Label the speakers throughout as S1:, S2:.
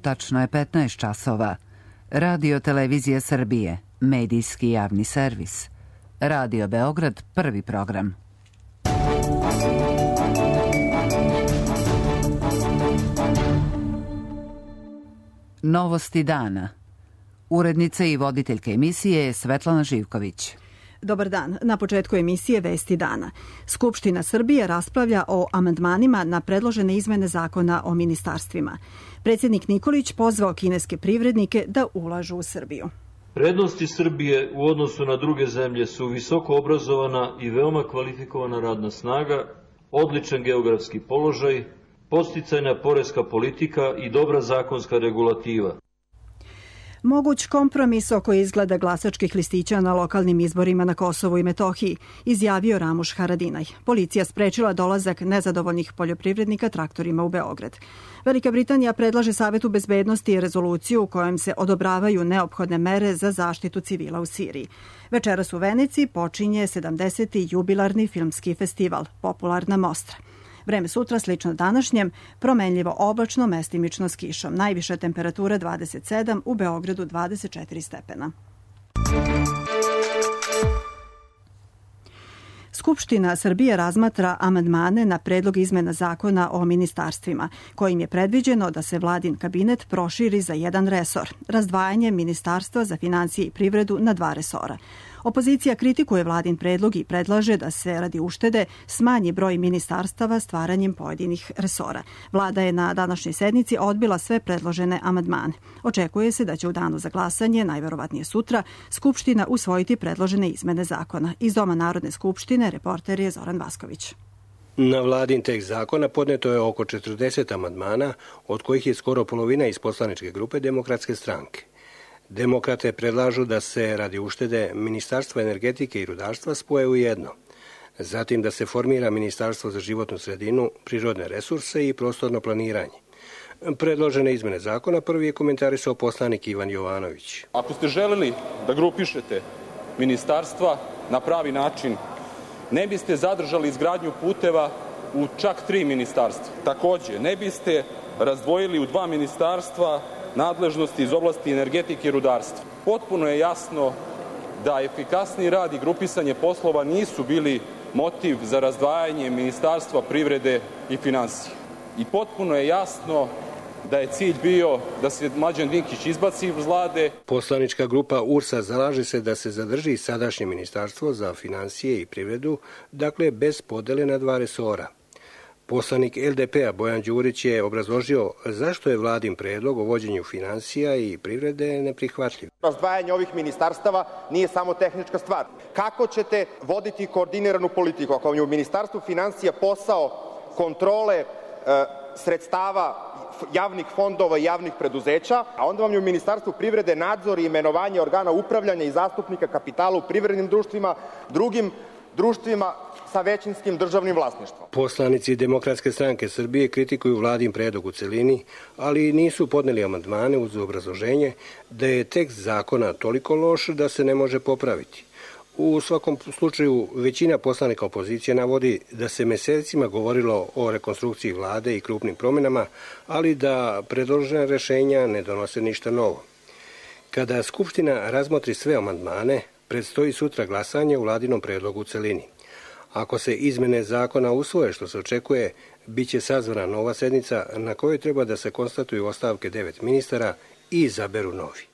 S1: Tačno je 15 časova. Radio Televizija Srbije, medijski javni servis. Radio Beograd, prvi program. Novosti dana. Urednica i voditeljka emisije je Svetlana Živković.
S2: Dobar dan. Na početku emisije Vesti dana. Skupština Srbije raspravlja o amandmanima na predložene izmene zakona o ministarstvima. Predsjednik Nikolić pozvao kineske privrednike da ulažu u Srbiju.
S3: Prednosti Srbije u odnosu na druge zemlje su visoko obrazovana i veoma kvalifikovana radna snaga, odličan geografski položaj, podsticajna poreska politika i dobra zakonska regulativa.
S2: Moguć kompromis oko izgleda glasačkih listića na lokalnim izborima na Kosovu i Metohiji, izjavio Ramuš Haradinaj. Policija sprečila dolazak nezadovoljnih poljoprivrednika traktorima u Beograd. Velika Britanija predlaže Savetu bezbednosti rezoluciju u kojem se odobravaju neophodne mere za zaštitu civila u Siriji. Večeras u Veneciji počinje 70. jubilarni filmski festival Popularna Mostra. Vreme sutra slično današnjem, promenljivo oblačno, mestimično s kišom. Najviša temperatura 27, u Beogradu 24 stepena. Skupština Srbije razmatra amandmane na predlog izmena zakona o ministarstvima, kojim je predviđeno da se vladin kabinet proširi za jedan resor, razdvajanje Ministarstva za financije i privredu na 2 resora. Opozicija kritikuje vladin predlog i predlaže da se radi uštede smanji broj ministarstava stvaranjem pojedinih resora. Vlada je na današnjoj sednici odbila sve predložene amandmane. Očekuje se da će u danu za glasanje, najverovatnije sutra, Skupština usvojiti predložene izmene zakona. Iz Doma Narodne skupštine reporter je Zoran Vasković.
S4: Na vladin tekst zakona podneto je oko 40 amandmana, od kojih je skoro polovina iz poslaničke grupe Demokratske stranke. Demokrate predlažu da se radi uštede Ministarstva energetike i rudarstva spoje u jedno. Zatim da se formira Ministarstvo za životnu sredinu, prirodne resurse i prostorno planiranje. Predložene izmene zakona prvi je komentarisao poslanik Ivan Jovanović.
S5: Ako ste želeli da grupišete ministarstva na pravi način, ne biste zadržali izgradnju puteva u čak 3 ministarstva. Takođe, ne biste razdvojili u 2 ministarstva nadležnosti iz oblasti energetike i rudarstva. Potpuno je jasno da efikasni rad i grupisanje poslova nisu bili motiv za razdvajanje Ministarstva privrede i finansija. I potpuno je jasno da je cilj bio da se Mlađan Dinkić izbaci iz Vlade.
S4: Poslanička grupa URS-a zalaže se da se zadrži sadašnje Ministarstvo za finansije i privredu, dakle bez podele na 2 resora. Poslanik LDP-a Bojan Đurić je obrazložio zašto je vladin predlog o vođenju finansija i privrede neprihvatljiv.
S6: Razdvajanje ovih ministarstava nije samo tehnička stvar. Kako ćete voditi koordiniranu politiku ako vam je u Ministarstvu finansija posao kontrole sredstava javnih fondova i javnih preduzeća, a onda vam je u Ministarstvu privrede nadzor i imenovanje organa upravljanja i zastupnika kapitala u privrednim društvima, drugim društvima sa većinskim državnim vlasništvom.
S4: Poslanici Demokratske stranke Srbije kritikuju vladin predlog u celini, ali nisu podneli amandmane uz obrazloženje da je tekst zakona toliko loš da se ne može popraviti. U svakom slučaju, većina poslanika opozicije navodi da se mesecima govorilo o rekonstrukciji vlade i krupnim promjenama, ali da predložena rešenja ne donose ništa novo. Kada Skupština razmotri sve amandmane, predstoji sutra glasanje u vladinom predlogu u celini. Ako se izmene zakona usvoje, što se očekuje, bit će sazvana nova sednica na kojoj treba da se konstatuju ostavke 9 ministara i izaberu novi.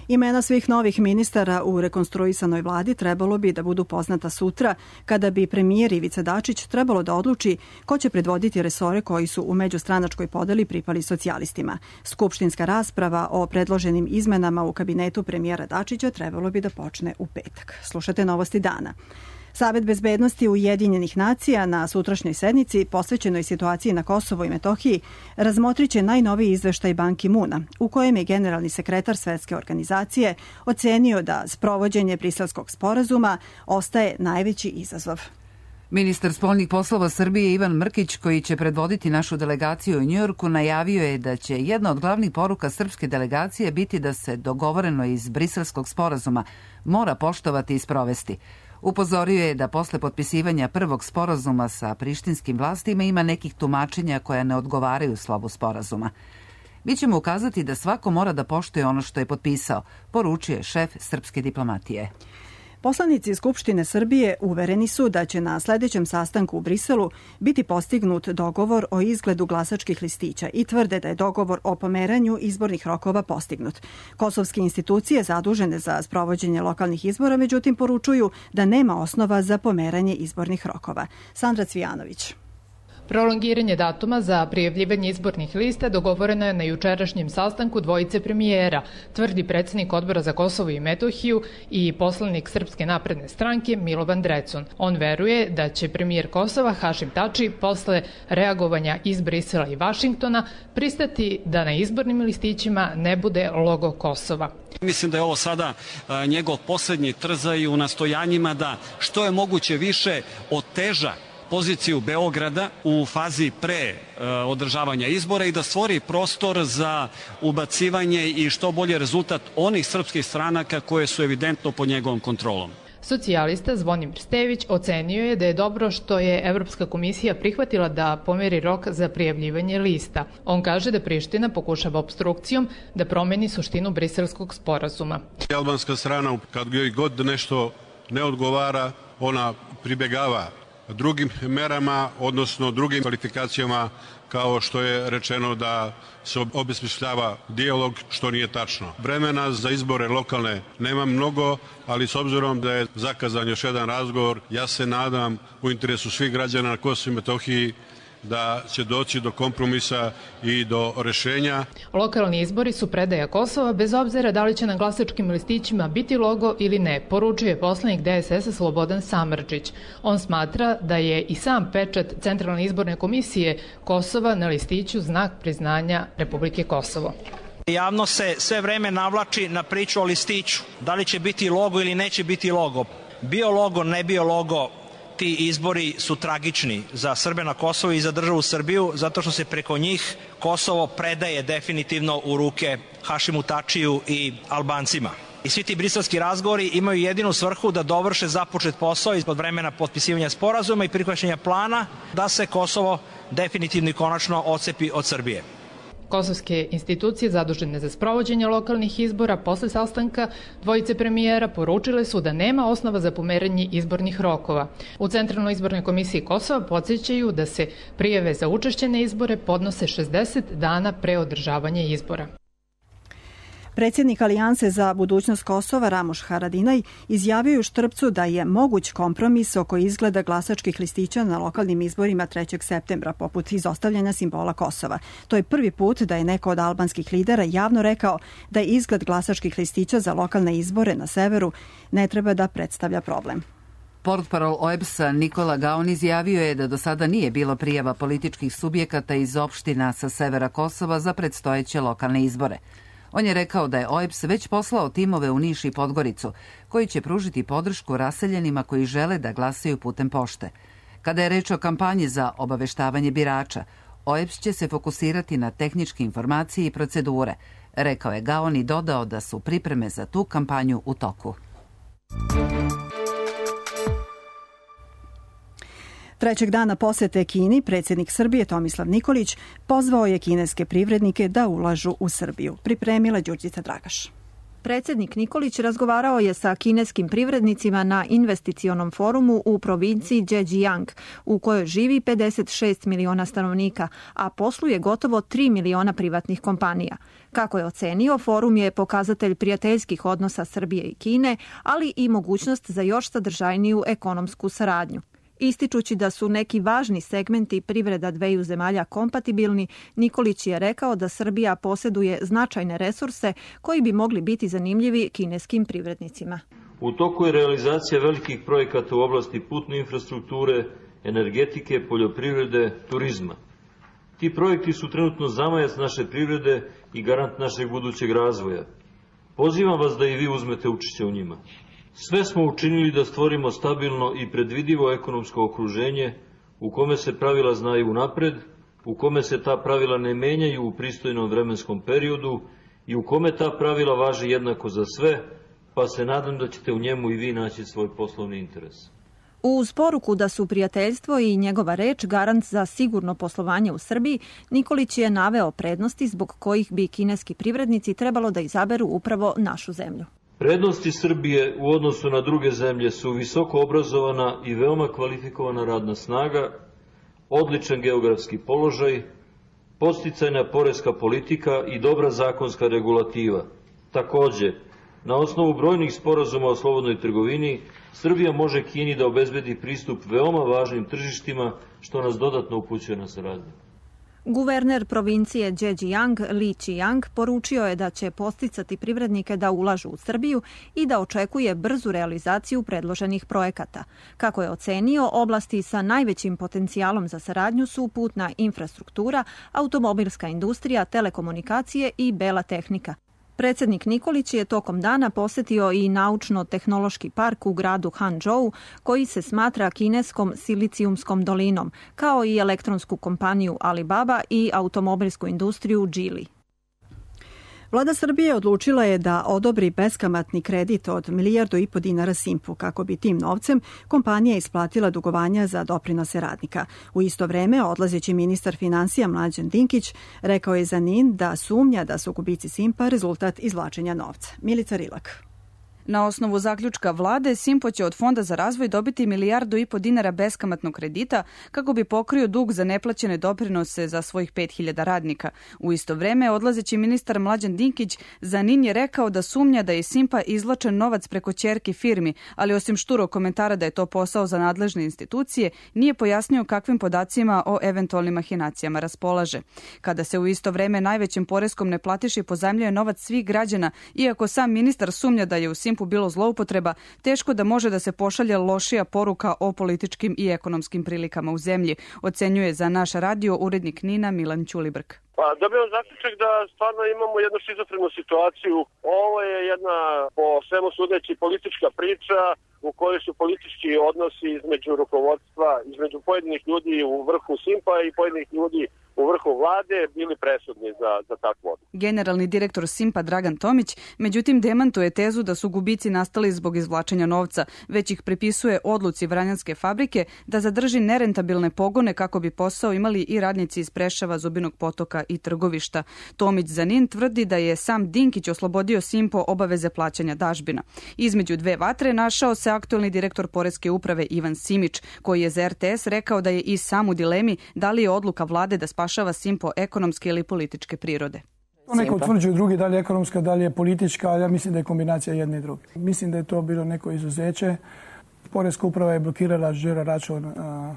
S2: Imena svih novih ministara u rekonstruisanoj vladi trebalo bi da budu poznata sutra, kada bi premijer Ivica Dačić trebalo da odluči ko će predvoditi resore koji su u međustranačkoj podeli pripali socijalistima. Skupštinska rasprava o predloženim izmenama u kabinetu premijera Dačića trebalo bi da počne u petak. Slušate Novosti dana. Savet bezbednosti Ujedinjenih nacija na sutrašnjoj sednici posvećenoj situaciji na Kosovu i Metohiji razmotriće najnoviji izveštaj Ban Ki-muna, u kojem je generalni sekretar Svetske organizacije ocenio da sprovođenje Briselskog sporazuma ostaje najveći izazov.
S1: Ministar spoljnih poslova Srbije Ivan Mrkić, koji će predvoditi našu delegaciju u Njujorku, najavio je da će jedna od glavnih poruka srpske delegacije biti da se dogovoreno iz Briselskog sporazuma mora poštovati i sprovesti. Upozorio je da posle potpisivanja prvog sporazuma sa prištinskim vlastima ima nekih tumačenja koja ne odgovaraju slovu sporazuma. Mi ćemo ukazati da svako mora da poštuje ono što je potpisao, poručuje šef srpske diplomatije.
S2: Poslanici Skupštine Srbije uvereni su da će na sledećem sastanku u Briselu biti postignut dogovor o izgledu glasačkih listića i tvrde da je dogovor o pomeranju izbornih rokova postignut. Kosovske institucije zadužene za sprovođenje lokalnih izbora, međutim, poručuju da nema osnova za pomeranje izbornih rokova. Sandra Cvijanović.
S7: Prolongiranje datuma za prijavljivanje izbornih lista dogovoreno je na jučerašnjem sastanku dvojice premijera, tvrdi predsjednik Odbora za Kosovo i Metohiju i poslanik Srpske napredne stranke Milovan Drecun. On veruje da će premijer Kosova Hašim Tači posle reagovanja iz Brisela i Vašingtona pristati da na izbornim listićima ne bude logo Kosova.
S8: Mislim da je ovo sada njegov poslednji trzaj u nastojanjima da što je moguće više oteža poziciju Beograda u fazi pre održavanja izbora i da stvori prostor za ubacivanje i što bolje rezultat onih srpskih stranaka koje su evidentno pod njegovom kontrolom.
S7: Socijalista Zvonimir Stević ocenio je da je dobro što je Evropska komisija prihvatila da pomeri rok za prijavljivanje lista. On kaže da Priština pokušava opstrukcijom da promeni suštinu briselskog sporazuma.
S9: Albanska strana, kad joj god nešto ne odgovara, ona pribegava drugim merama, odnosno drugim kvalifikacijama, kao što je rečeno da se obesmišljava dijalog, što nije tačno. Vremena za izbore lokalne nema mnogo, ali s obzirom da je zakazan još jedan razgovor, ja se nadam u interesu svih građana na Kosovu i Metohiji da će doći do kompromisa i do rešenja.
S7: Lokalni izbori su predaja Kosova bez obzira da li će na glasačkim listićima biti logo ili ne, poručuje poslanik DSS-a Slobodan Samardžić. On smatra da je i sam pečat Centralne izborne komisije Kosova na listiću znak priznanja Republike Kosovo.
S10: Javno se sve vreme navlači na priču o listiću. Da li će biti logo ili neće biti logo. Bio logo, ne bio logo, ti izbori su tragični za Srbe na Kosovu i za državu Srbiju, zato što se preko njih Kosovo predaje definitivno u ruke Hašimu Tačiju i Albancima. I svi ti briselski razgovori imaju jedinu svrhu da dovrše započet posao ispod vremena potpisivanja sporazuma i prihvaćanja plana da se Kosovo definitivno i konačno odcepi od Srbije.
S7: Kosovske institucije zadužene za sprovođenje lokalnih izbora posle sastanka dvojice premijera poručile su da nema osnova za pomeranje izbornih rokova. U Centralnoj izbornoj komisiji Kosova podsjećaju da se prijave za učešće na izbore podnose 60 dana pre održavanja izbora.
S2: Predsjednik Alijanse za budućnost Kosova Ramoš Haradinaj izjavio u Štrpcu da je moguć kompromis oko izgleda glasačkih listića na lokalnim izborima 3. septembra, poput izostavljanja simbola Kosova. To je prvi put da je neko od albanskih lidera javno rekao da je izgled glasačkih listića za lokalne izbore na severu ne treba da predstavlja problem.
S1: Portparol OEBS-a Nikola Gaon izjavio je da do sada nije bilo prijava političkih subjekata iz opština sa severa Kosova za predstojeće lokalne izbore. On je rekao da je OEBS već poslao timove u Niš i Podgoricu, koji će pružiti podršku raseljenima koji žele da glasaju putem pošte. Kada je reč o kampanji za obaveštavanje birača, OEBS će se fokusirati na tehničke informacije i procedure, rekao je Gaon i dodao da su pripreme za tu kampanju u toku.
S2: Trećeg dana posete Kini, predsjednik Srbije Tomislav Nikolić pozvao je kineske privrednike da ulažu u Srbiju. Pripremila Đurđica Dragaš.
S11: Predsjednik Nikolić razgovarao je sa kineskim privrednicima na investicionom forumu u provinciji Zhejiang, u kojoj živi 56 miliona stanovnika, a posluje gotovo 3 miliona privatnih kompanija. Kako je ocenio, forum je pokazatelj prijateljskih odnosa Srbije i Kine, ali i mogućnost za još sadržajniju ekonomsku saradnju. Ističući da su neki važni segmenti privreda dveju zemalja kompatibilni, Nikolić je rekao da Srbija posjeduje značajne resurse koji bi mogli biti zanimljivi kineskim privrednicima.
S3: U toku je realizacija velikih projekata u oblasti putne infrastrukture, energetike, poljoprivrede, turizma. Ti projekti su trenutno zamajac naše privrede i garant našeg budućeg razvoja. Pozivam vas da i vi uzmete učešće u njima. Sve smo učinili da stvorimo stabilno i predvidivo ekonomsko okruženje u kome se pravila znaju unapred, u kome se ta pravila ne menjaju u pristojnom vremenskom periodu i u kome ta pravila važi jednako za sve, pa se nadam da ćete u njemu i vi naći svoj poslovni interes.
S11: Uz poruku da su prijateljstvo i njegova reč garant za sigurno poslovanje u Srbiji, Nikolić je naveo prednosti zbog kojih bi kineski privrednici trebalo da izaberu upravo našu zemlju.
S3: Prednosti Srbije u odnosu na druge zemlje su visoko obrazovana i veoma kvalifikovana radna snaga, odličan geografski položaj, podsticajna poreska politika i dobra zakonska regulativa. Takođe, na osnovu brojnih sporazuma o slobodnoj trgovini, Srbija može Kini da obezbedi pristup veoma važnim tržištima, što nas dodatno upućuje na saradnju.
S11: Guverner provincije Zhejiang Li Qiang poručio je da će podsticati privrednike da ulažu u Srbiju i da očekuje brzu realizaciju predloženih projekata. Kako je ocenio, oblasti sa najvećim potencijalom za saradnju su putna infrastruktura, automobilska industrija, telekomunikacije i bela tehnika. Predsjednik Nikolić je tokom dana posetio i naučno-tehnološki park u gradu Hangzhou, koji se smatra kineskom silicijumskom dolinom, kao i elektronsku kompaniju Alibaba i automobilsku industriju Geely.
S2: Vlada Srbije odlučila je da odobri beskamatni kredit od 1,5 milijardu dinara Simpu, kako bi tim novcem kompanija isplatila dugovanja za doprinose radnika. U isto vreme, odlazeći ministar finansija Mlađan Dinkić rekao je za NIN da sumnja da su gubici Simpa rezultat izvlačenja novca. Milica Rilak.
S12: Na osnovu zaključka vlade, Simpo će od Fonda za razvoj dobiti 1,5 milijardu dinara beskamatnog kredita kako bi pokrio dug za neplaćene doprinose za svojih 5.000 radnika. U isto vreme, odlazeći ministar Mlađan Dinkić za NIN je rekao da sumnja da je Simpa izvlačen novac preko ćerki firmi, ali osim šturog komentara da je to posao za nadležne institucije, nije pojasnio kakvim podacima o eventualnim mahinacijama raspolaže. Kada se u isto vreme najvećem poreskom neplatiši pozajmljuje novac svih građana, iako sam ministar sumnja da je u Simpu bilo zloupotreba, teško da može da se pošalje lošija poruka o političkim i ekonomskim prilikama u zemlji, ocenjuje za naš radio urednik NIN-a Milan Ćulibrk.
S13: Pa dobijamo zaključak da stvarno imamo jednu šizofrenu situaciju. Ovo je jedna, po svemu sudeći, politička priča u kojoj su politički odnosi između rukovodstva, između pojedinih ljudi u vrhu Simpa i pojedinih ljudi u vrhu vlade bili presudni za takvu odluku.
S12: Generalni direktor Simpa Dragan Tomić, međutim, demantuje tezu da su gubici nastali zbog izvlačenja novca, već ih pripisuje odluci Vranjanske fabrike da zadrži nerentabilne pogone kako bi posao imali i radnici iz Preševa, Zubinog Potoka i Trgovišta. Tomić za NIN tvrdi da je sam Dinkić oslobodio Simpo obaveze plaćanja dažbina. Između dve vatre našao se aktuelni direktor Poreske uprave Ivan Simić, koji je za RTS rekao da je i sam u dilemi da li je odluka vlade da spašava Simpo ekonomske ili političke prirode.
S14: To neko utvrđuje drugi, da li je ekonomska, da li je politička, ali ja mislim da je kombinacija jedne i druge. Mislim da je to bilo neko izuzeće. Poreska uprava je blokirala žiro račun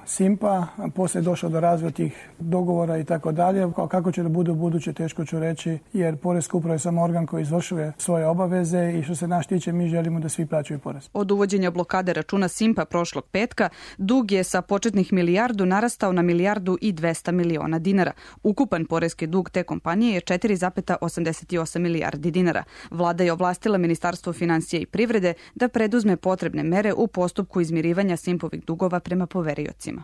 S14: Simpa, poslije je došlo do razvoja tih dogovora i tako dalje. Kako će da bude u buduće, teško ću reći, jer Poreska uprava je samo organ koji izvršuje svoje obaveze i što se nas tiče, mi želimo da svi plaćaju porez.
S12: Od uvođenja blokade računa Simpa prošlog petka, dug je sa početnih 1 milijardu narastao na 1,2 milijardu dinara. Ukupan poreski dug te kompanije je 4,88 milijardi dinara. Vlada je ovlastila Ministarstvo finansija i privrede da preduzme potrebne mere u postupku izmirivanja Simpovih dugova prema poveriocima.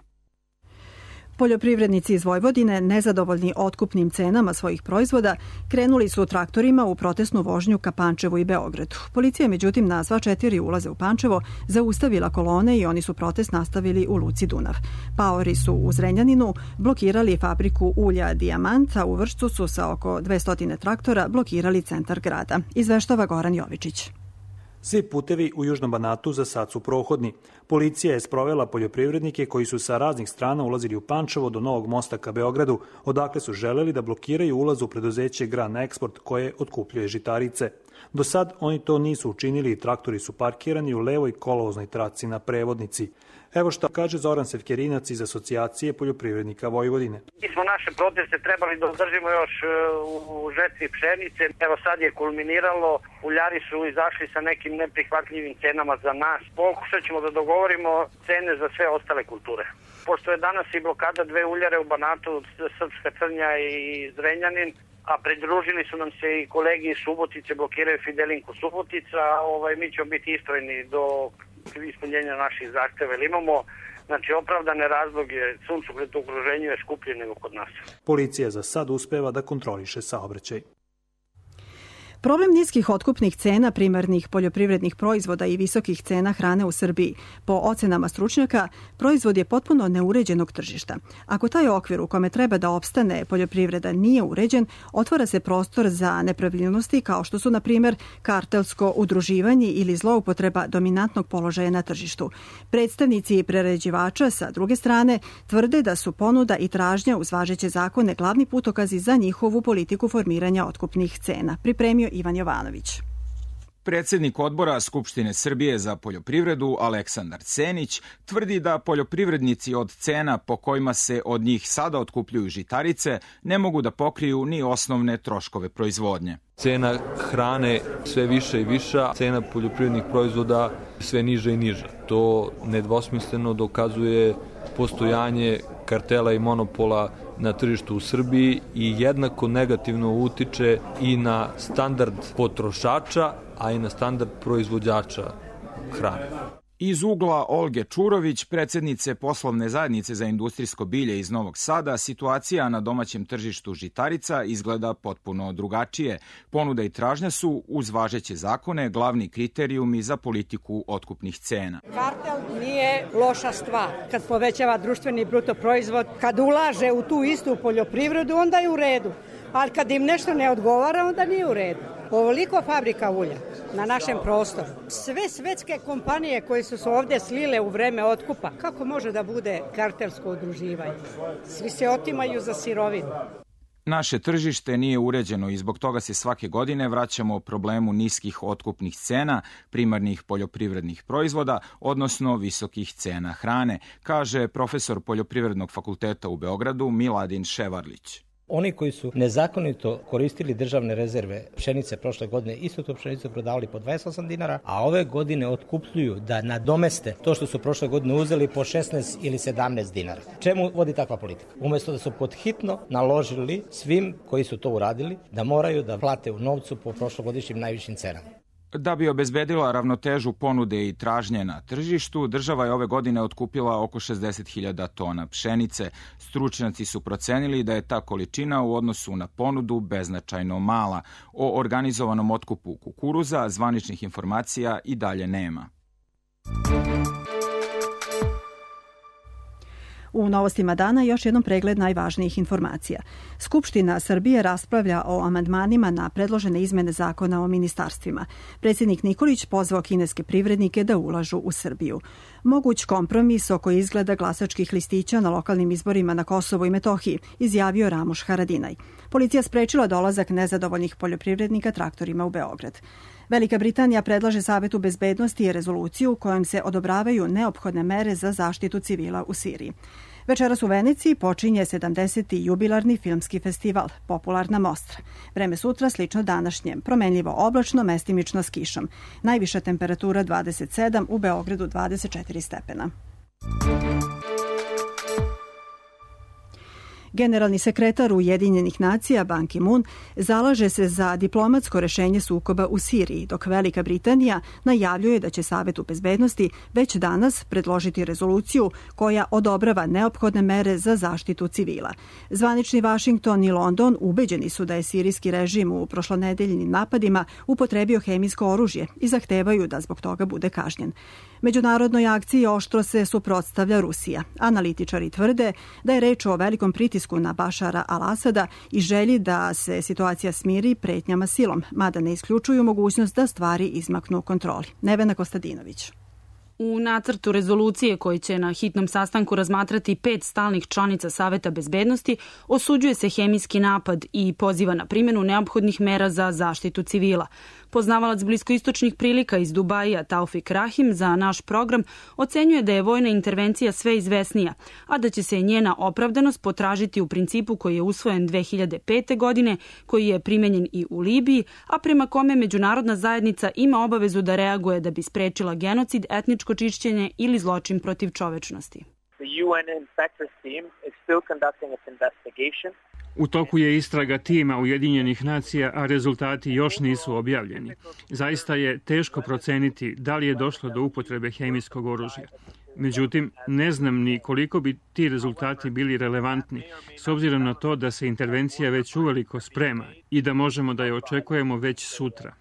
S2: Poljoprivrednici iz Vojvodine, nezadovoljni otkupnim cenama svojih proizvoda, krenuli su traktorima u protestnu vožnju ka Pančevu i Beogradu. Policija, međutim, na sva 4 ulaze u Pančevo zaustavila kolone i oni su protest nastavili u luci Dunav. Paori su u Zrenjaninu blokirali fabriku ulja Dijamant, a u Vršcu su sa oko 200 traktora blokirali centar grada. Izveštava Goran Jovičić.
S15: Svi putevi u Južnom Banatu za sad su prohodni. Policija je sprovela poljoprivrednike koji su sa raznih strana ulazili u Pančevo do Novog mosta ka Beogradu, odakle su želeli da blokiraju ulaz u preduzeće Gran Eksport koje otkupljuje žitarice. Do sad oni to nisu učinili i traktori su parkirani u levoj kolovoznoj traci na prevodnici. Evo šta kaže Zoran Sevkerinac iz Asocijacije poljoprivrednika Vojvodine.
S16: Mi smo naše proteste trebali da održimo još u žetvi pšenice. Evo sad je kulminiralo, uljari su izašli sa nekim neprihvatljivim cenama za nas. Pokušat ćemo da dogovorimo cene za sve ostale kulture. Pošto je danas i blokada 2 uljare u Banatu, Srpska Crnja i Zrenjanin, a pridružili su nam se i kolegi iz Subotice, blokiraju Fidelinku Subotica, mi ćemo biti istrajni do ispunjenja naših zahteva. Imamo opravdane razloge, suncokret u okruženju je skuplje nego kod nas.
S15: Policija za sad uspeva da kontroliše saobraćaj.
S2: Problem niskih otkupnih cena primarnih poljoprivrednih proizvoda i visokih cena hrane u Srbiji, po ocenama stručnjaka, proizvod je potpuno neuređenog tržišta. Ako taj okvir u kome treba da opstane poljoprivreda nije uređen, otvara se prostor za nepravilnosti kao što su, na primjer, kartelsko udruživanje ili zloupotreba dominantnog položaja na tržištu. Predstavnici prerađivača, sa druge strane, tvrde da su ponuda i tražnja uz važeće zakone glavni putokazi za njihovu politiku formiranja otkupnih cena. Pripremio Ivan Jovanović.
S17: Predsednik odbora Skupštine Srbije za poljoprivredu Aleksandar Senić tvrdi da poljoprivrednici od cena po kojima se od njih sada otkupljuju žitarice ne mogu da pokriju ni osnovne troškove proizvodnje.
S18: Cena hrane sve više i viša, cena poljoprivrednih proizvoda sve niža i niža. To nedvosmisleno dokazuje postojanje kartela i monopola na tržištu u Srbiji i jednako negativno utiče i na standard potrošača, a i na standard proizvođača hrane.
S17: Iz ugla Olge Čurović, predsednice poslovne zajednice za industrijsko bilje iz Novog Sada, situacija na domaćem tržištu žitarica izgleda potpuno drugačije. Ponuda i tražnja su, uz važeće zakone, glavni kriterijumi za politiku otkupnih cena.
S19: Kartel nije loša stvar. Kad povećava društveni bruto proizvod, kad ulaže u tu istu poljoprivredu, onda je u redu. Ali kad im nešto ne odgovara, onda nije u redu. Ovoliko fabrika ulja na našem prostoru. Sve svetske kompanije koje su se ovde slile u vreme otkupa, kako može da bude kartelsko udruživanje? Svi se otimaju za sirovinu.
S17: Naše tržište nije uređeno i zbog toga se svake godine vraćamo problemu niskih otkupnih cena primarnih poljoprivrednih proizvoda, odnosno visokih cena hrane, kaže profesor Poljoprivrednog fakulteta u Beogradu Miladin Ševarlić.
S20: Oni koji su nezakonito koristili državne rezerve pšenice prošle godine, isto tu pšenicu prodavali po 28 dinara, a ove godine otkupljuju da nadomeste to što su prošle godine uzeli po 16 ili 17 dinara. Čemu vodi takva politika? Umesto da su podhitno naložili svim koji su to uradili da moraju da plate u novcu po prošlogodišnjim najvišim cenama.
S17: Da bi obezbedila ravnotežu ponude i tražnje na tržištu, država je ove godine otkupila oko 60.000 tona pšenice. Stručnjaci su procenili da je ta količina u odnosu na ponudu beznačajno mala. O organizovanom otkupu kukuruza zvaničnih informacija i dalje nema.
S2: U novostima dana još jednom pregled najvažnijih informacija. Skupština Srbije raspravlja o amandmanima na predložene izmene zakona o ministarstvima. Predsjednik Nikolić pozvao kineske privrednike da ulažu u Srbiju. Moguć kompromis oko izgleda glasačkih listića na lokalnim izborima na Kosovu i Metohiji, izjavio Ramuš Haradinaj. Policija sprečila dolazak nezadovoljnih poljoprivrednika traktorima u Beograd. Velika Britanija predlaže Savetu bezbednosti rezoluciju kojom se odobravaju neophodne mere za zaštitu civila u Siriji. Večeras u Veneciji počinje 70. jubilarni filmski festival Popularna Mostra. Vreme sutra slično današnjem, promenljivo oblačno, mestimično s kišom. Najviša temperatura 27, u Beogradu 24 stepena. Generalni sekretar Ujedinjenih nacija Ban Ki-moon zalaže se za diplomatsko rešenje sukoba u Siriji, dok Velika Britanija najavljuje da će Savetu bezbednosti već danas predložiti rezoluciju koja odobrava neophodne mere za zaštitu civila. Zvanični Vašington i London ubeđeni su da je sirijski režim u prošlonedeljnim napadima upotrebio hemijsko oružje i zahtevaju da zbog toga bude kažnjen. Međunarodnoj akciji oštro se suprotstavlja Rusija. Analitičari tvrde da je reč o velikom pritisku na Bašara al-Asada i želji da se situacija smiri pretnjama silom, mada ne isključuju mogućnost da stvari izmaknu kontroli. Nevena Kostadinović.
S21: U nacrtu rezolucije koji će na hitnom sastanku razmatrati 5 stalnih članica Saveta bezbednosti osuđuje se hemijski napad i poziva na primjenu neophodnih mera za zaštitu civila. Poznavalac bliskoistočnih prilika iz Dubaija Taufik Rahim za naš program ocenjuje da je vojna intervencija sve izvesnija, a da će se njena opravdanost potražiti u principu koji je usvojen 2005. godine, koji je primenjen i u Libiji, a prema kome međunarodna zajednica ima obavezu da reaguje da bi sprečila genocid, etničko čišćenje ili zločin protiv čovečnosti.
S22: U toku je istraga tima Ujedinjenih nacija, a rezultati još nisu objavljeni. Zaista je teško proceniti da li je došlo do upotrebe hemijskog oružja. Međutim, ne znam ni koliko bi ti rezultati bili relevantni, s obzirom na to da se intervencija već uveliko sprema i da možemo da je očekujemo već sutra.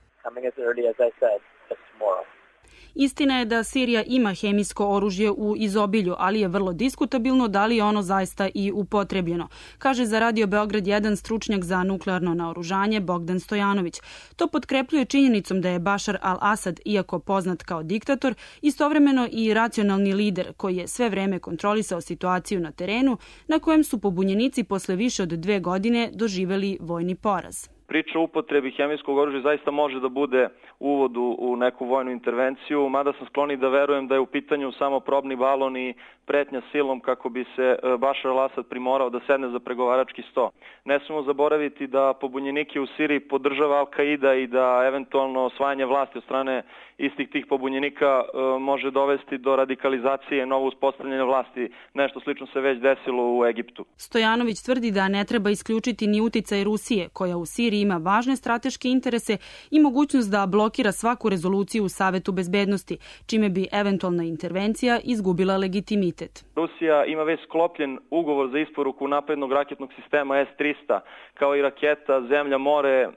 S21: Istina je da Sirija ima hemijsko oružje u izobilju, ali je vrlo diskutabilno da li je ono zaista i upotrebljeno, kaže za Radio Beograd 1 stručnjak za nuklearno naoružanje Bogdan Stojanović. To potkrepljuje činjenicom da je Bašar al-Asad, iako poznat kao diktator, istovremeno i racionalni lider koji je sve vreme kontrolisao situaciju na terenu, na kojem su pobunjenici posle više od 2 godine doživeli vojni poraz.
S5: Priča o upotrebi hemijskog oružja zaista može da bude uvod u neku vojnu intervenciju, mada sam skloni da verujem da je u pitanju samo probni balon i pretnja silom kako bi se Bašar al-Asad primorao da sedne za pregovarački sto. Ne smemo zaboraviti da pobunjenike u Siriji podržava Al-Qaida i da eventualno osvajanje vlasti od strane istih tih pobunjenika može dovesti do radikalizacije, novo uspostavljanje vlasti. Nešto slično se već desilo u Egiptu.
S21: Stojanović tvrdi da ne treba isključiti ni uticaj Rusije, koja u Siriji ima važne strateške interese i mogućnost da blokira svaku rezoluciju u Savetu bezbednosti, čime bi eventualna intervencija izgubila legitimitet.
S5: Rusija ima već sklopljen ugovor za isporuku naprednog raketnog sistema S-300, kao i raketa Zemlja-more,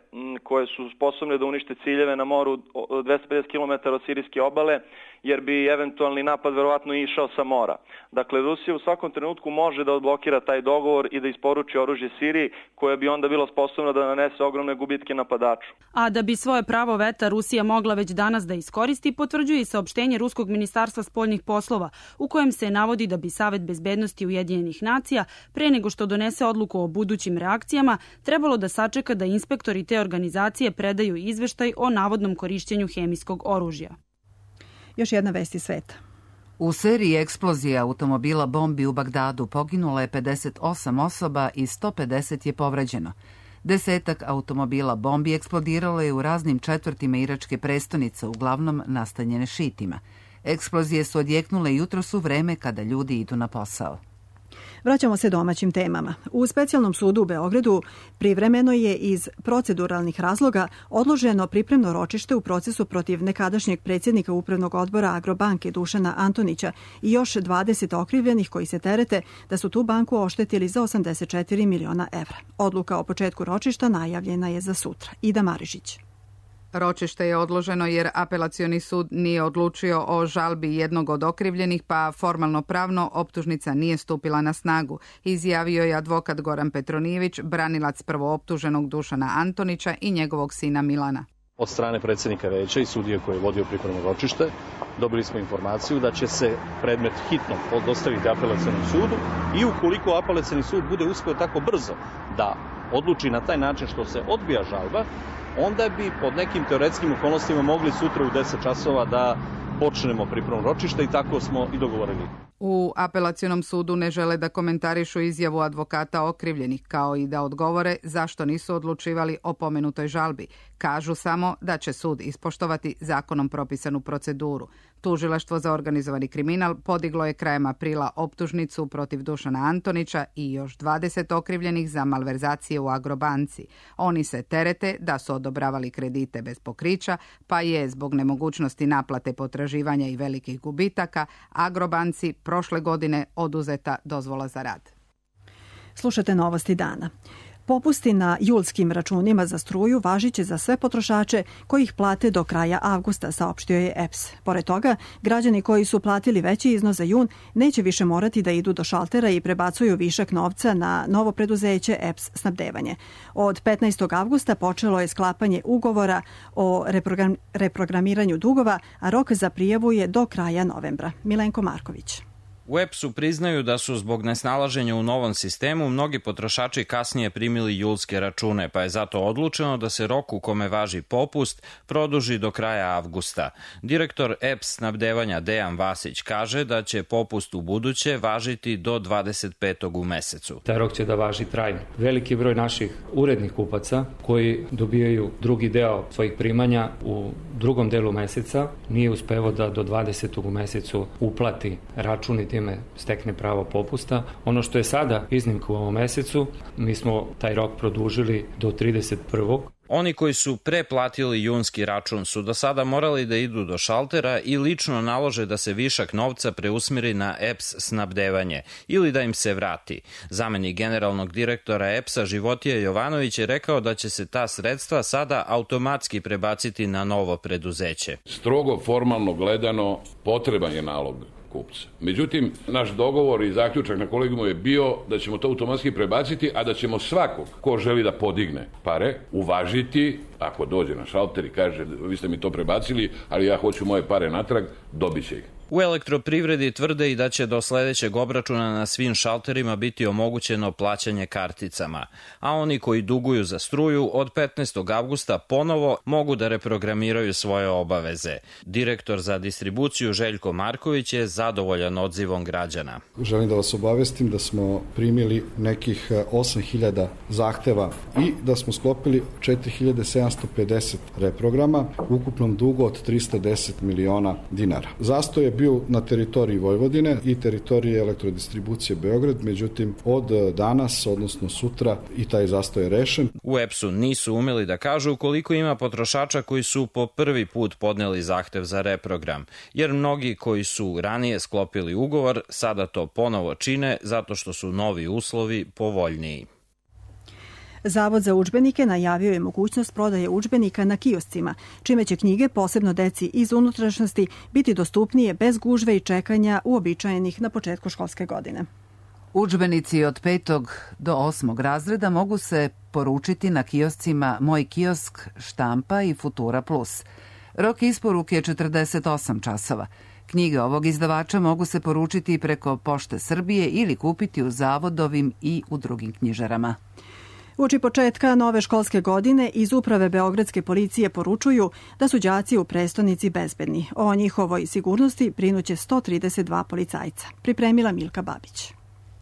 S5: koje su sposobne da unište ciljeve na moru 250 km od sirijske obale, jer bi eventualni napad verovatno išao sa mora. Dakle, Rusija u svakom trenutku može da odblokira taj dogovor i da isporuči oružje Siriji, koja bi onda bila sposobna da nanese ogromne gubitke napadaču.
S21: A da bi svoje pravo veta Rusija mogla već danas da iskoristi, potvrđuje i saopštenje Ruskog ministarstva spoljnih poslova, u kojem se navodi da bi Savet bezbednosti Ujedinjenih nacija, pre nego što donese odluku o budućim reakcijama, trebalo da sačeka da inspektori te organizacije predaju izveštaj o navodnom korišćenju hemijskog oružja.
S2: Još jedna vest iz sveta.
S1: U seriji eksplozija automobila bombi u Bagdadu poginulo je 58 osoba i 150 je povređeno. 10 automobila bombi eksplodiralo je u raznim četvrtima iračke prestonice, uglavnom nastanjene šitima. Eksplozije su odjeknule jutros u vreme kada ljudi idu na posao.
S2: Vraćamo se domaćim temama. U specijalnom sudu u Beogradu privremeno je iz proceduralnih razloga odloženo pripremno ročište u procesu protiv nekadašnjeg predsjednika Upravnog odbora Agrobanke Dušana Antonića i još 20 okrivljenih koji se terete da su tu banku oštetili za 84 miliona evra. Odluka o početku ročišta najavljena je za sutra. Ida Marišić.
S6: Ročište je odloženo jer apelacioni sud nije odlučio o žalbi jednog od okrivljenih, pa formalno pravno optužnica nije stupila na snagu, izjavio je advokat Goran Petronijević, branilac prvooptuženog Dušana Antonića i njegovog sina Milana.
S23: Od strane predsjednika veća i sudije koji je vodio pripremno ročište dobili smo informaciju da će se predmet hitno dostaviti apelacionom sudu i ukoliko apelacioni sud bude uspio tako brzo da odluči na taj način što se odbija žalba, onda bi pod nekim teoretskim okolnostima mogli sutra u 10 časova da počnemo pripremno ročište i tako smo i dogovorili.
S6: U apelacionom sudu ne žele da komentarišu izjavu advokata okrivljenih, kao i da odgovore zašto nisu odlučivali o pomenutoj žalbi. Kažu samo da će sud ispoštovati zakonom propisanu proceduru. Tužilaštvo za organizovani kriminal podiglo je krajem aprila optužnicu protiv Dušana Antonića i još 20 okrivljenih za malverzacije u Agrobanci. Oni se terete da su odobravali kredite bez pokrića, pa je zbog nemogućnosti naplate potraživanja i velikih gubitaka Agrobanci prošle godine oduzeta dozvola za rad.
S2: Slušate novosti dana. Popusti na julskim računima za struju važiće za sve potrošače koji ih plate do kraja avgusta, saopštio je EPS. Pored toga, građani koji su platili veći iznos za jun neće više morati da idu do šaltera i prebacuju višak novca na novo preduzeće EPS snabdevanje. Od 15. avgusta počelo je sklapanje ugovora o reprogramiranju dugova, a rok za prijavu je do kraja novembra. Milenko Marković.
S24: U EPS-u priznaju da su zbog nesnalaženja u novom sistemu mnogi potrošači kasnije primili julske račune, pa je zato odlučeno da se rok u kome važi popust produži do kraja avgusta. Direktor EPS snabdevanja Dejan Vasić kaže da će popust u buduće važiti do 25. u mesecu.
S25: Taj rok će da važi trajno. Veliki broj naših urednih kupaca koji dobijaju drugi deo svojih primanja u drugom delu meseca nije uspevao da do 20. u mesecu uplati račun i time stekne pravo popusta. Ono što je sada iznimka u ovom mesecu, mi smo taj rok produžili do 31.
S24: Oni koji su preplatili junski račun su do sada morali da idu do šaltera i lično nalože da se višak novca preusmeri na EPS snabdevanje ili da im se vrati. Zamenik generalnog direktora EPS-a Životija Jovanović je rekao da će se ta sredstva sada automatski prebaciti na novo preduzeće.
S4: Strogo formalno gledano potreban je nalog kupca. Međutim, naš dogovor i zaključak na kolegijumu je bio da ćemo to automatski prebaciti, a da ćemo svakog ko želi da podigne pare uvažiti, ako dođe na šalter i kaže vi ste mi to prebacili, ali ja hoću moje pare natrag, dobit će ih.
S24: U Elektroprivredi tvrde i da će do sledećeg obračuna na svim šalterima biti omogućeno plaćanje karticama, a oni koji duguju za struju od 15. avgusta ponovo mogu da reprogramiraju svoje obaveze. Direktor za distribuciju Željko Marković je zadovoljan odzivom građana.
S7: Želim da vas obavestim da smo primili nekih 8.000 zahteva i da smo sklopili 4.750 reprograma u ukupnom dugu od 310 miliona dinara. Zastoj je bio na teritoriji Vojvodine i teritoriji Elektrodistribucije Beograd, međutim od danas, odnosno sutra, i taj zastoj je rešen.
S24: U EPS-u nisu umeli da kažu koliko ima potrošača koji su po prvi put podneli zahtev za reprogram, jer mnogi koji su ranije sklopili ugovor sada to ponovo čine zato što su novi uslovi povoljniji.
S2: Zavod za udžbenike najavio je mogućnost prodaje udžbenika na kioscima, čime će knjige, posebno deci iz unutrašnjosti, biti dostupnije bez gužve i čekanja uobičajenih na početku školske godine.
S1: Udžbenici od 5. do 8. razreda mogu se poručiti na kioscima Moj kiosk, Štampa i Futura Plus. Rok isporuke je 48 časova. Knjige ovog izdavača mogu se poručiti preko Pošte Srbije ili kupiti u zavodovim i u drugim knjižarama.
S2: Uoči početka nove školske godine iz Uprave Beogradske policije poručuju da su đaci u prestonici bezbedni. O njihovoj sigurnosti brinuće 132 policajca. Pripremila Milka Babić.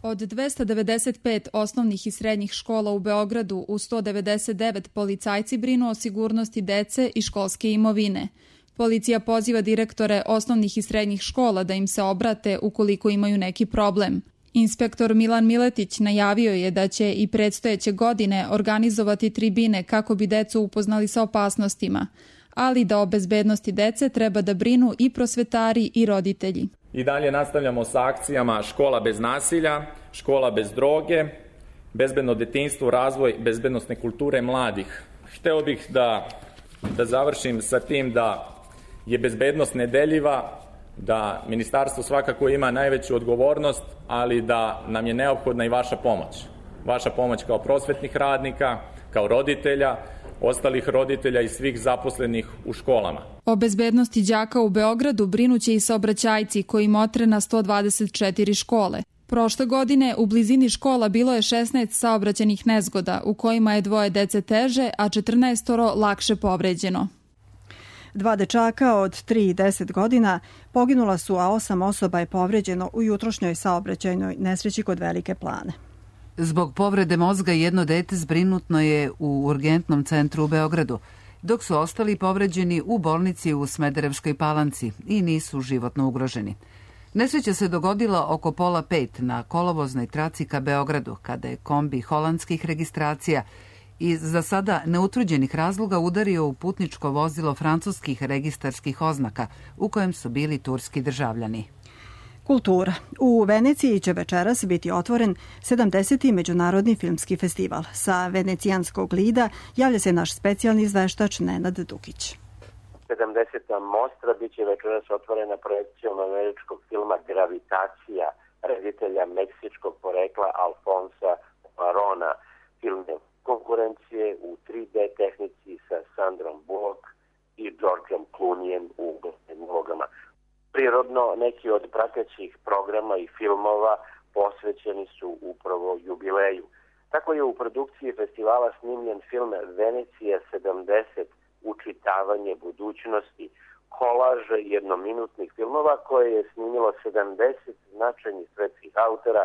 S8: Od 295 osnovnih i srednjih škola u Beogradu u 199 policajci brinu o sigurnosti dece i školske imovine. Policija poziva direktore osnovnih i srednjih škola da im se obrate ukoliko imaju neki problem. Inspektor Milan Miletić najavio je da će i predstojeće godine organizovati tribine kako bi decu upoznali sa opasnostima, ali da o bezbednosti dece treba da brinu i prosvetari i roditelji.
S9: I dalje nastavljamo sa akcijama Škola bez nasilja, Škola bez droge, bezbedno detinjstvo, razvoj bezbednosne kulture mladih. Hteo bih da završim sa tim da je bezbednost nedeljiva, da ministarstvo svakako ima najveću odgovornost, ali da nam je neophodna i vaša pomoć. Vaša pomoć kao prosvetnih radnika, kao roditelja, ostalih roditelja i svih zaposlenih u školama.
S8: O bezbednosti đaka u Beogradu brinuće i saobraćajci koji motre na 124 škole. Prošle godine u blizini škola bilo je 16 saobraćajnih nezgoda u kojima je 2 dece teže, a 14 lakše povređeno.
S2: 2 dečaka od 3 i 10 godina poginula su, a 8 osoba je povređeno u jutrošnjoj saobraćajnoj nesreći kod Velike Plane.
S1: Zbog povrede mozga jedno dete zbrinutno je u urgentnom centru u Beogradu, dok su ostali povređeni u bolnici u Smederevskoj Palanci i nisu životno ugroženi. Nesreća se dogodila oko 4:30 na kolovoznoj traci ka Beogradu, kada je kombi holandskih registracija iz za sada neutvrđenih razloga udario u putničko vozilo francuskih registarskih oznaka u kojem su bili turski državljani.
S2: Kultura. U Veneciji će večeras biti otvoren 70. Međunarodni filmski festival. Sa venecijanskog Lida javlja se naš specijalni izveštač Nenad Dukić.
S10: 70. mostra biće večeras otvorena projekcijom američkog filma Gravitacija, reditelja meksičkog porekla Alfonsa Cuarona. Film je konkurencije u 3D tehnici sa Sandrom Bullock i Georgeom Clooneyem u glavnim ulogama. Prirodno, neki od pratećih programa i filmova posvećeni su upravo jubileju. Tako je u produkciji festivala snimljen film Venecija 70, učitavanje budućnosti, kolaž jednominutnih filmova koje je snimilo 70 značajnih svetskih autora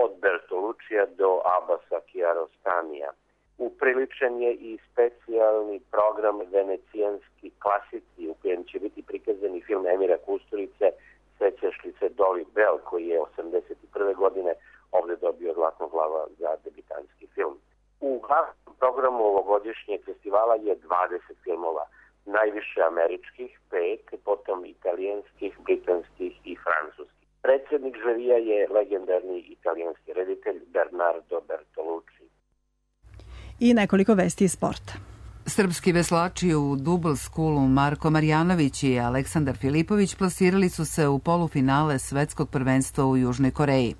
S10: od Bertolucija do Abbasa Kiarostanija. Upriličen je i specijalni program Venecijanski klasici u kojem će biti prikazani film Emira Kusturice Sećaš li se Dolly Bell, koji je 81. godine ovde dobio Zlatnog glava za debitanski film. U glavnom programu ovogodišnjeg festivala je 20 filmova, najviše američkih, 5, potom italijanskih, britanskih i francuskih. Predsjednik žirija je legendarni italijanski reditelj Bernardo Bertolucci.
S2: I nekoliko vesti iz sporta.
S1: Srpski veslači u Double Schoolu Marko Marjanović i Aleksandar Filipović plasirali su se u polufinale svetskog prvenstva u Južnoj Koreji.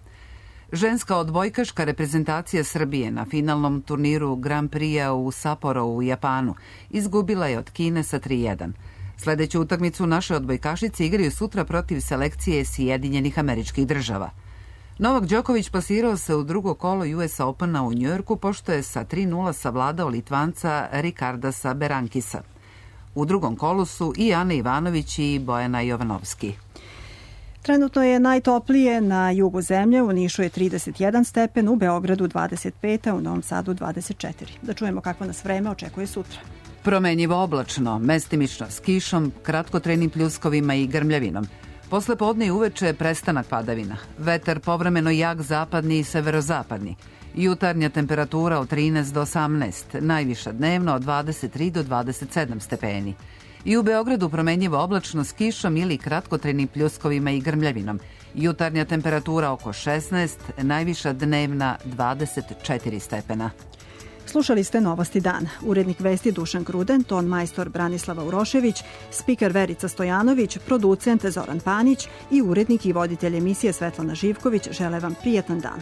S1: Ženska odbojkaška reprezentacija Srbije na finalnom turniru Grand Prix-a u Sapporo u Japanu izgubila je od Kine sa 3:1. Sledeću utakmicu naše odbojkašice igraju sutra protiv selekcije Sjedinjenih Američkih Država. Novak Đoković plasirao se u drugo kolo US Opena u Njujorku pošto je sa 3:0 savladao Litvanca Rikardasa Berankisa. U drugom kolu su i Ana Ivanović i Bojana Jovanovski.
S2: Trenutno je najtoplije na jugu zemlje, u Nišu je 31 stepen, u Beogradu 25, a u Novom Sadu 24. Da čujemo kako nas vreme očekuje sutra.
S1: Promenjivo oblačno, mestimično s kišom, kratkotrajnim pljuskovima i grmljavinom. Posle podne i uveče prestanak padavina. Vetar povremeno jak zapadni i severozapadni. Jutarnja temperatura od 13 do 18, najviša dnevno od 23 do 27 stepeni. I u Beogradu promenjivo oblačno s kišom ili kratkotrajnim pljuskovima i grmljavinom. Jutarnja temperatura oko 16, najviša dnevna 24 stepena.
S2: Slušali ste Novosti dana. Urednik vesti Dušan Gruden, ton majstor Branislava Urošević, spiker Verica Stojanović, producent Zoran Panić i urednik i voditelj emisije Svetlana Živković žele vam prijatan dan.